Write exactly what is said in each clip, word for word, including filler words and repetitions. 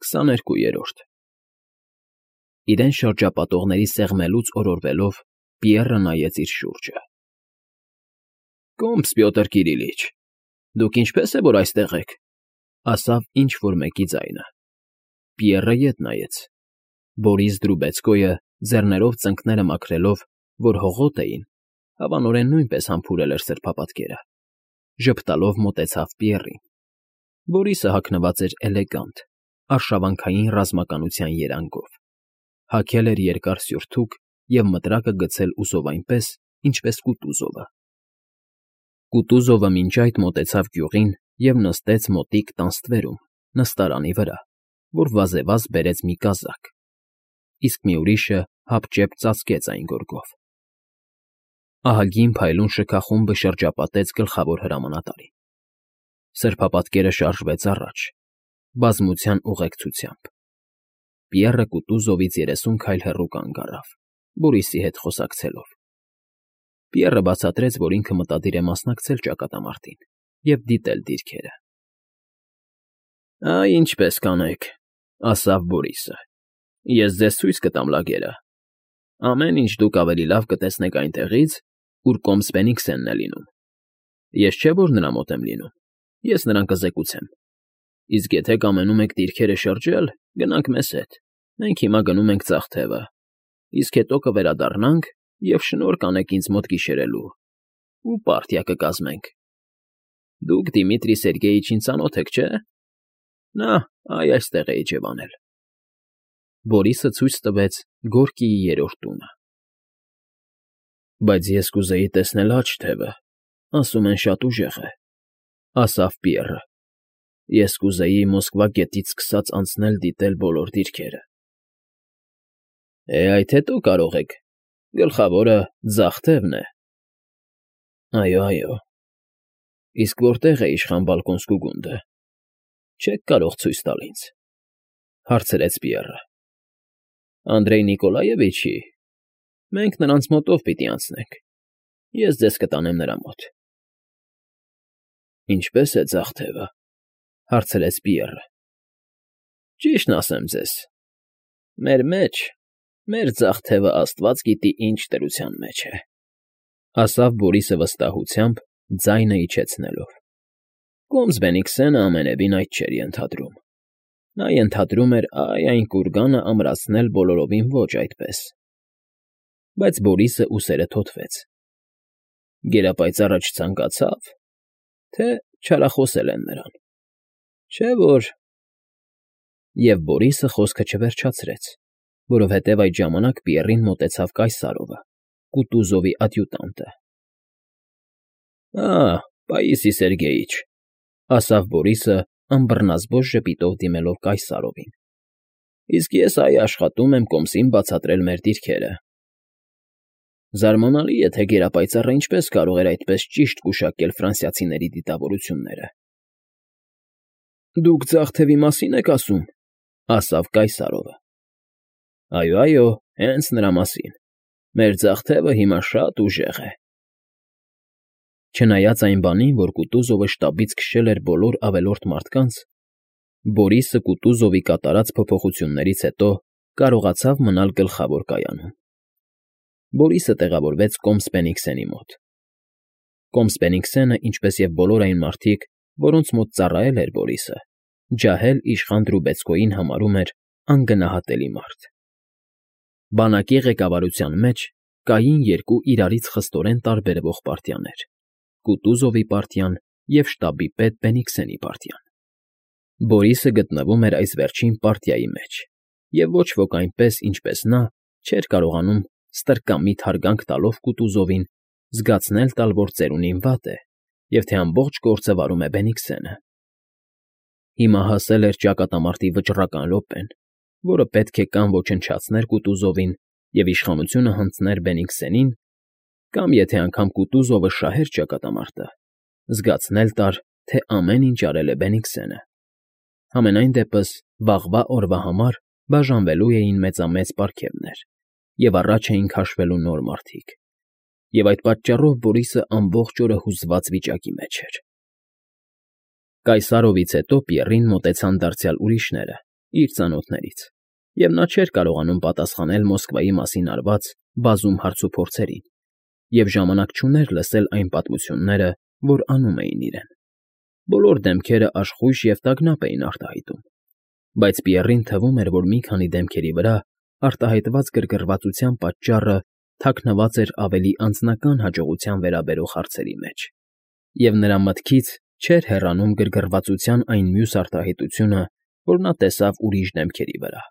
քսաներկուերորդ Իրեն շրջապատողների սեղմելուց օրորվելով Պիեռը նայեց իր շուրջը։ ֊ Կոմս, Պյոտր Կիրիլիչ, դուք ինչպե՞ս է, որ այստեղ եք,֊ ասավ ինչ֊որ մեկի ձայնը։ Պիեռը ետ նայեց. Բորիս Դրուբեցկոյը, ձեռներով ծնկները մաքրելով, որ հողոտ էին, հավանորեն նույնպես համբուրել էր սրբապատկերը, ժպտալով մոտեցավ Պիեռին։ Բորիսը հագնված էր էլեգանտ, արշավանքային ռազմականության երանգով, հագել էր երկար սյուրթուք և մտրակը գցել ուզով այնպես, ինչպես Կուտուզովը։ Կուտուզովը մինչ այդ մոտեցավ գյուղին և նստեց մոտիկ տան ստվերում, նստարանի վրա, որ վազևազ բերեց մի կազակ, իսկ մի ուրիշը հապճեպ ծածկեց այն գորգով։ Ահագին փայլուն շքախումբը շրջապատեց գլխավոր հրամանատարին։ Սրբապատկերը շարժվեց առաջ, բազմության ուղեկցությամբ։ Պիեռը Կուտուզովից երեսուն քայլ հեռու կանգ առավ, Բորիսի հետ խոսակցելով։ Պիեռը բացատրեց, որ ինքը մտադիր է մասնակցել ճակատամարտին և դիտել դիրքերը։ ֊ Այ ինչպես կանեք,֊ ասավ Բորիսը,֊ ես ձեզ ցույց կտամ լագերը։ Ամեն ինչ դուք ավելի լավ կտեսնեք այնտեղից, ուր կոմս Բենիքսենն է լինում։ Ես չէ՞ որ նրա մոտ եմ լինում, ես նրան կզեկուցեմ։ Իսկ եթե կամենում եք դիրքերը շրջել, գնանք մեզ հետ, մենք հիմա գնում ենք ձախ թևը, իսկ հետո կվերադառնանք և շնորհ կանեք ինձ մոտ գիշերելու, ու պարտիա կկազմենք։ Դուք Դիմիտրի Սերգեյիչին ծանոթ եք, չէ՞։ Նա այ այստեղ է իջևանել։ Բորիսը ցույց տվեց Գորկիի երրորդ տունը։ Բայց ես կուզեի տեսնել աջ թևը, ասում են շատ ուժեղ է,֊ ասավ Պիեռը։ Ես կուզեի Մոսկվա գետից սկսած անցնել դիտել բոլոր դիրքերը։ Է, այդ հետո կարող եք, գլխավորը ձախ թևն է։ Այո, այո։ Իսկ որտե՞ղ է իշխան Բալկոնսկու գունդը։ Չե՞ք կարող ցույց տալ ինձ,֊ հարցրեց Պիեռը։ Անդրեյ Նիկոլաևիչի։ Մենք նրանց մոտով պիտի անցնենք, ես ձեզ կտանեմ նրա մոտ։ Ինչպե՞ս է ձախ թևը,֊ հարցրեց Պիեռը։ Ճիշտն ասեմ ձեզ, մեր մեջ, մեր ձախ թևը աստված գիտի ինչ դրության մեջ է,֊ ասավ Բորիսը վստահությամբ, ձայնը իջեցնելով։ Կոմս Բենիքսենը ամենևին այդ չէր ենթադրում։ Նա ենթադրում էր այ այն կուրգանը ամրացնել բոլորովին ոչ այդպես։ Բայց Բորիսը ուսերը թոթվեց։ Գերապայծառը չցանկացավ, թե չարախոսել են նրան, չէ՞ որ… Եվ Բորիսը խոսքը չվերջացրեց, որովհետև այդ ժամանակ Պիեռին մոտեցավ Կայսարովը, Կուտուզովի ադյուտանտը։ Ա՜, Պաիսի Սերգեյիչ,֊ ասավ Բորիսը, ըմբռնազբոստ ժպիտով դիմելով Կայսարովին։ Իսկ ես այ աշխատում եմ կոմսին բացատրել մեր դիրքերը։ Զարմանալի է, թե գերապայծառը ինչպես կարող էր այդպես ճիշտ գուշակել ֆրանսիացիների դիտավորությունները։ Դուք ձախ թևի մասի՞ն եք ասում,֊ ասավ Կայսարովը։ Այո, այո, հենց նրա մասին։ Մեր ձախ թևը հիմա շատ ուժեղ է։ Չնայած այն բանին, որ Կուտուզովը շտաբից քշել էր բոլոր ավելորդ մարդկանց, Բորիսը Կուտուզովի կատարած փոփոխություններից հետո կարողացավ մնալ գլխավոր կայանում։ Բորիսը տեղավորվեց կոմս Բենիքսենի մոտ։ Կոմս Բենիքսենը, ինչպես և բոլոր այն մարդիկ, որոնց մոտ ծառայել էր Բորիսը, ջահել իշխան Դրուբեցկոյին համարում էր անգնահատելի մարդ։ Բանակի ղեկավարության մեջ կային երկու իրարից խստորեն տարբերվող պարտիաներ՝ Կուտուզովի պարտիան և շտաբի պետ Բենիքսենի պարտիան։ Բորիսը գտնվում էր այս վերջին պարտիայի մեջ, և ոչ ոք այնպես, ինչպես նա, չէր կարողանում ստրկամիտ հարգանք տալով Կուտուզովին զգացնել տալ, որ ծերունին վատ է և թե ամբողջ գործը վարում է Բենիքսենը։ Հիմա հասել էր ճակատամարտի վճռական րոպեն, որը պետք է կամ ոչնչացներ Կուտուզովին և իշխանությունը հանձներ Բենիքսենին, կամ, եթե անգամ Կուտուզովը շահեր ճակատամարտը, զգացնել տար, թե ամեն ինչ արել է Բենիքսենը։ Համենայն դեպս, վաղվա օրվա համար բաժանվելու էին մեծամեծ պարգևներ, և առաջ էին քաշվելու նոր մարդիկ, և այդ պատճառով Բորիսը ամբողջ օրը հուզված վիճակի մեջ էր։ Կայսարովից հետո Պիեռին մոտեցան դարձյալ ուրիշները իր ծանոթներից, և նա չէր կարողանում պատասխանել Մոսկվայի մասին արված բազում հարցուփորձերին և ժամանակ չուներ լսել այն պատմությունները, որ անում էին իրեն. բոլոր դեմքերը աշխույժ և տագնապ էին արտահայտում, բայց Պիեռին թվում էր, որ մի քանի դեմքերի վրա արտահայտված գրգռվածության պատճառը թաքնված էր ավելի անձնական հաջողության վերաբերող հարցերի մեջ, և նրա մտքից չէր հեռանում գրգռվածության այն մյուս արտահայտությունը, որ նա տեսավ ուրիշ դեմքերի վրա,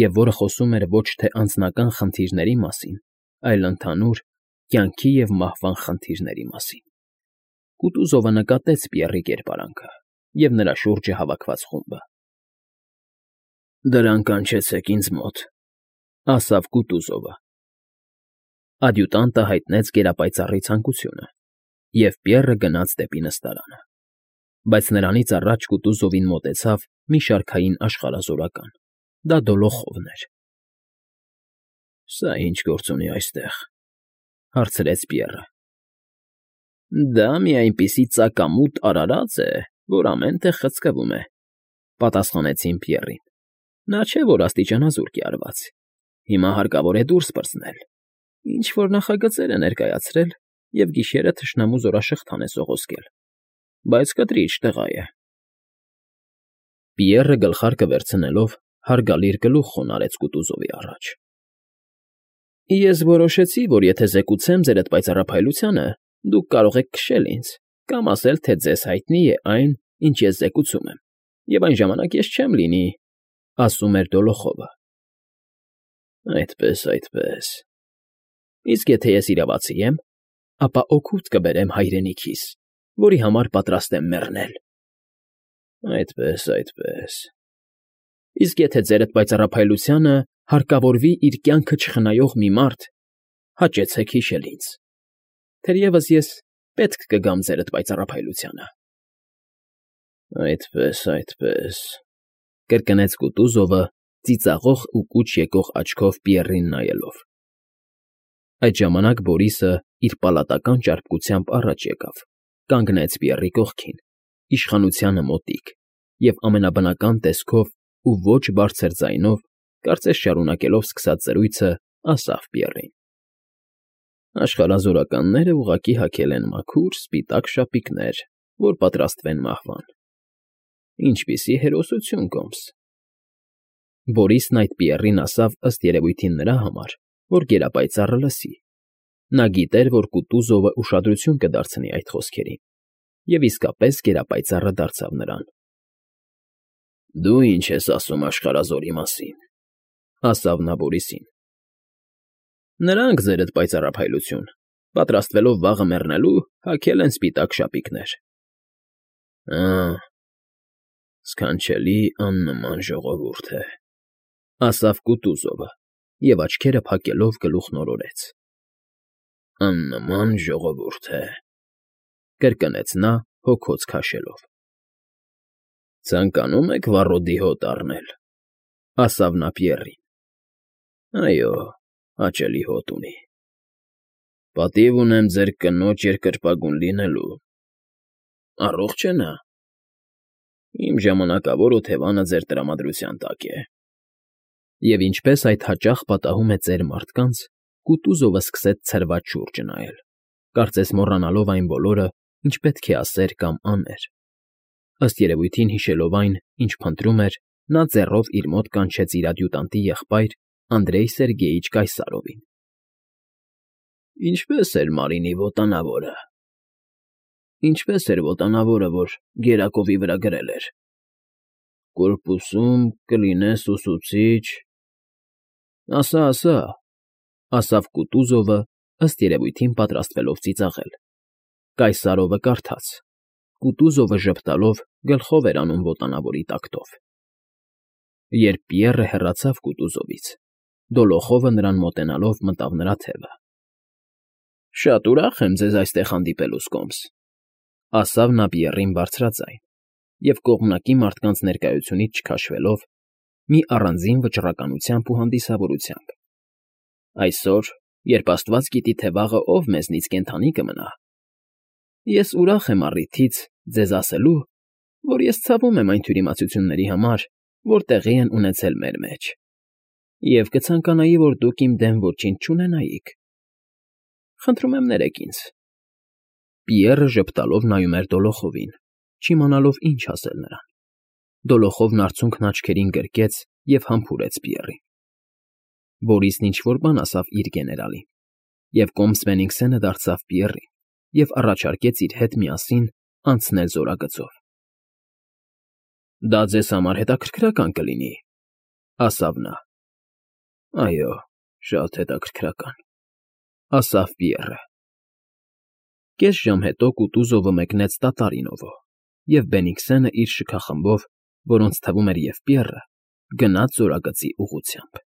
և որը խոսում էր ոչ թե անձնական խնդիրների մասին, այլ ընդհանուր կյանքի և մահվան խնդիրների մասին։ Կուտուզովը նկատեց Պիեռի կերպարանքը և նրա շուրջը հավաքված խումբը։ ֊ Դրանք կանչեցեք ինձ մոտ,֊ ասավ Կուտուզովը։ Ադյուտանտը հայտնեց գերապայծառի ցանկությունը, և Պիեռը գնաց դեպի նստարանը, բայց նրանից առաջ Կուտուզովին մոտեցավ մի շարքային աշխարհազորական. դա Դոլոխովն էր։ ֊ Սա ի՞նչ գործ ունի այստեղ,֊ հարցրեց Պիեռը։ ֊ Դա մի այնպիսի ծակամութ արարած է, որ ամեն տեղ խցկվում է,֊ պատասխանեցին Պիեռին։ ֊ Նա չէ, որ աստիճանազուրկ է արված, հիմա հարկավոր է դուրս պրծնել, ինչ֊որ նախագծեր է ներկայացրել և գիշերը թշնամու զորաշղթան է սողոսկել, բայց կտրիչ տղա է։ Պիեռը գլխարկը վերցնելով հարգալից գլուխ խոնարհեց Կուտուզովի առաջ։ ֊ Ես որոշեցի, որ եթե զեկուցեմ ձերդ պայծառափայլությանը, դուք կարող եք քշել ինձ կամ ասել, թե ձեզ հայտնի է այն, ինչ ես զեկուցում եմ, և այն ժամանակ ես չեմ լինի,֊ ասում էր Դոլոխովը։ ֊ Այդպես, այդպես… Իսկ եթե ես իրավացի եմ, ապա օգուտ կբերեմ հայրենիքիս, որի համար պատրաստ եմ մեռնել։ ֊ Այդպես, այդպես… Իսկ եթե ձերդ պայծառափայլությանը հարկավորվի իր կյանքը չխնայող մի մարդ, հաճեցեք հիշել ինձ, թերևս ես պետք կգամ ձերդ պայծառափայլությանը։ ֊ Այդպես, այդպես…֊ կրկնեց Կուտուզովը ծիծաղող ու կուչ եկող աչքով Պիեռին նայելով։ Այդ ժամանակ Բորիսը իր պալատական ճարպկությամբ առաջ եկավ, կանգնեց Պիեռի կողքին, իշխանությանը մոտիկ, և ամենաբնական տեսքով ու ոչ բարձր ձայնով, կարծես շարունակելով սկսած զրույցը, ասավ Պիեռին. «Աշխարհազորականները ուղղակի հագել են մաքուր սպիտակ շապիկներ, որ պատրաստվեն մահվան… Ինչպիսի հերոսություն, Կոմս…»։ Բորիսն այդ Պիեռին ասավ ըստ երևույթին նրա համար, որ գերապայծառը լսի. նա գիտեր, որ Կուտուզովը ուշադրություն կդարձնի այդ խոսքերին, և իսկապես գերապայծառը դարձավ նրան։ ֊ Դու ի՞նչ ես ասում աշխարհազորի մասին,֊ ասավ նա Բորիսին։ ֊ Նրանք, ձերդ պայծառափայլություն, պատրաստվելով վաղը մեռնելու, հագել են սպիտակ շապիկներ։ ֊ Ա՜, սքանչելի աննման ժողովուրդ է,֊ ասավ Կուտուզովը և աչքերը փակելով գլուխն օրորեց։ ֊ Աննման ժողովուրդ է,֊ կրկնեց նա հոգոց քաշելով։ ֊ Ցանկանում եք վառոդի հոտ առնել,֊ ասավ նա Պիեռին։ ֊ Այո, հաճելի հոտ ունի։ ֊ Պատիվ ունեմ ձեր կնոջ երկրպագուն լինելու։ ֊ Առողջ է նա։ ֊ Իմ ժամանակավոր օթևանը ձեր տրամադրության տակ է։ Եվ ինչպես այդ հաճախ պատահում է ծեր մարդկանց, Կուտուզովը սկսեց ցրված շուրջը նայել, կարծես մոռանալով այն բոլորը, ինչ պետք է ասեր կամ աներ։ Ըստ երևույթին հիշելով այն, ինչ փնտրում էր, նա ձեռով իր մոտ կանչեց իր ադյուտանտի եղբայր Անդրեյ Սերգեյիչ Կայսարովին։ ֊ Ինչպե՞ս էր Մարինի մոտանավորը։ ֊ Ինչպես էր մոտանավորը, որ գերակովի վրա գրել էր։ ֊ Կորպուսում կլինես ուսուցիչ… ֊ Ասա, ասա,֊ ասավ Կուտուզովը, ըստ երևույթին պատրաստվելով ծիծաղել։ Կայսարովը կարդաց. Կուտուզովը ժպտալով գլխով էր անում ոտանավորի տակտով։ Երբ Պիեռը հեռացավ Կուտուզովից, Դոլոխովը նրան մոտենալով մտավ նրա թևը։ ֊ Շատ ուրախ եմ ձեզ այստեղ հանդիպելուս, Կոմս,֊ ասավ նա Պիեռին բարձրաձայն և կողմնակի մարդկանց ներկայությունից չքաշվելով, մի առանձին վճռականությամբ ու հանդիսավորությամբ։ ֊ Այսօր, երբ աստված գիտի, թե վաղը ով մեզնից կենդանի կմնա, ես ուրախ եմ առիթից ձեզ ասելու, որ ես ցավում եմ այն թյուրիմացությունների համար, որ տեղի են ունեցել մեր մեջ, և կցանկանայի, որ դուք իմ դեմ ոչինչ չունենայիք։ Խնդրում եմ ներեք ինձ։ Պիեռը ժպտալով նայում էր Դոլոխովին, չիմանալով ինչ ասել նրան։ Դոլոխովն արցունքն աչքերին գրկեց և համբուրեց Պիեռին։ Բորիսն ինչ֊որ բան ասավ իր գեներալին, և կոմս Բենիգսենը դարձավ Պիեռին և առաջարկեց իր հետ միասին անցնել զորագծով։ ֊ Դա ձեզ համար հետաքրքրական կլինի,֊ ասավ նա։ ֊ Այո, շատ հետաքրքրական,֊ ասավ Պիեռը։ Կես ժամ հետո Կուտուզովը մեկնեց Տատարինովո, և Բենիգսենը իր շքախմբով, որոնց թվում էր և Պիեռը, գնաց զորագծի ուղղությամբ։